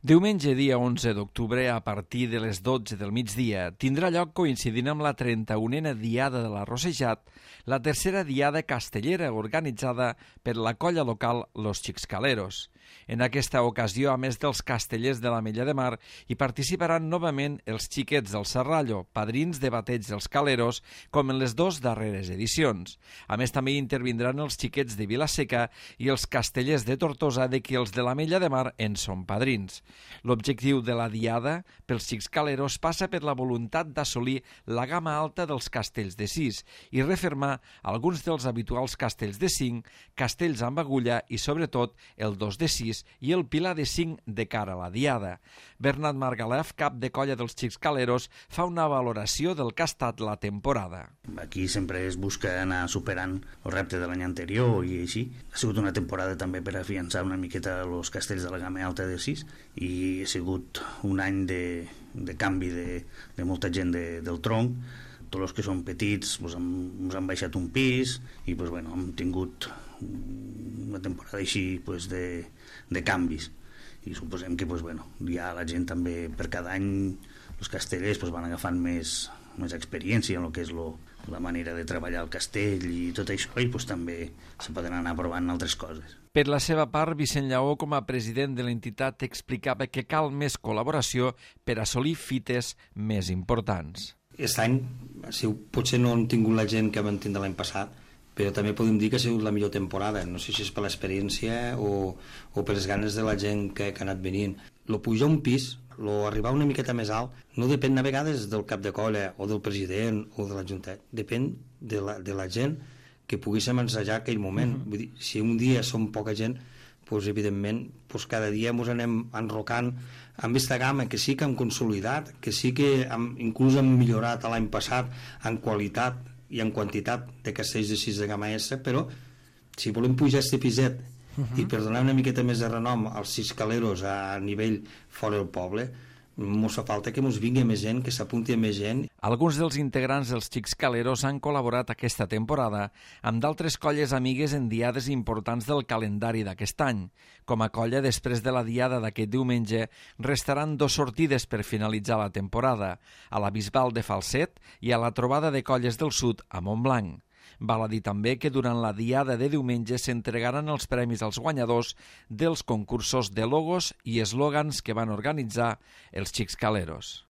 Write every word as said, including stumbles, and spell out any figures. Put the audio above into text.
Diumenge, dia onze d'octubre, a partir de les dotze del migdia, tindrà lloc, coincidint amb la trenta-unena Diada de l'Arrossejat, la tercera Diada castellera organitzada per la colla local Los Xixcaleros. En aquesta ocasió, a més dels castellers de l'Ametlla de Mar, hi participaran novament els xiquets del Serrallo, padrins de bateig dels Caleros, com en les dues darreres edicions. A més, també hi intervindran els xiquets de Vila-seca i els castellers de Tortosa, de qui els de l'Ametlla de Mar en són padrins. L'objectiu de la Diada pels Xixcaleros passa per la voluntat d'assolir la gamma alta dels castells de sis i refermar alguns dels habituals castells de cinc, castells amb agulla i, sobretot, el dos de sis i el pilar de cinc de cara a la Diada. Bernat Margalef, cap de colla dels Xixcaleros, fa una valoració del que ha estat la temporada. Aquí sempre es busca anar superant el repte de l'any anterior i així. Ha sigut una temporada també per afiançar una miqueta els castells de la gamma alta de sis i ha sigut un any de, de canvi de, de molta gent de, del tronc. Tots els que són petits doncs, hem, ens han baixat un pis i doncs, bueno, hem tingut una temporada així pues, de, de canvis i suposem que pues, bueno, ja la gent també per cada any els castellers pues, van agafant més, més experiència en el que és lo, la manera de treballar el castell i tot això i pues, també se poden anar provant altres coses. Per la seva part, Vicent Lleó, com a president de l'entitat, explicava que cal més col·laboració per assolir fites més importants. Aquest any potser no hem tingut la gent que vam tindre l'any passat, però també podem dir que ha sigut la millor temporada. No sé si és per l'experiència o, o per les ganes de la gent que, que ha anat venint. Lo pujar un pis, lo arribar una miqueta més alt, no depèn a vegades del cap de colla o del president o de l'Ajuntament. Depèn de la, de la gent que poguéssim ensejar aquell moment. Uh-huh. Vull dir, si un dia som poca gent, pues, evidentment pues, cada dia ens anem enrocant amb aquesta gamma que sí que hem consolidat, que sí que hem, inclús hem millorat l'any passat en qualitat i en quantitat de castells de sis de gamma S, però si volem pujar aquest piset uh-huh. i per donar una miqueta més de renom als Xixcaleros a nivell fora del poble, ens fa falta que ens vingui més gent, que s'apunti més gent. Alguns dels integrants dels Xixcaleros han col·laborat aquesta temporada amb d'altres colles amigues en diades importants del calendari d'aquest any. Com a colla, després de la diada d'aquest diumenge, restaran dos sortides per finalitzar la temporada, a la Bisbal de Falset i a la trobada de colles del sud a Montblanc. Val a dir també que durant la diada de diumenge s'entregaran els premis als guanyadors dels concursos de logos i eslògans que van organitzar els Xixcaleros.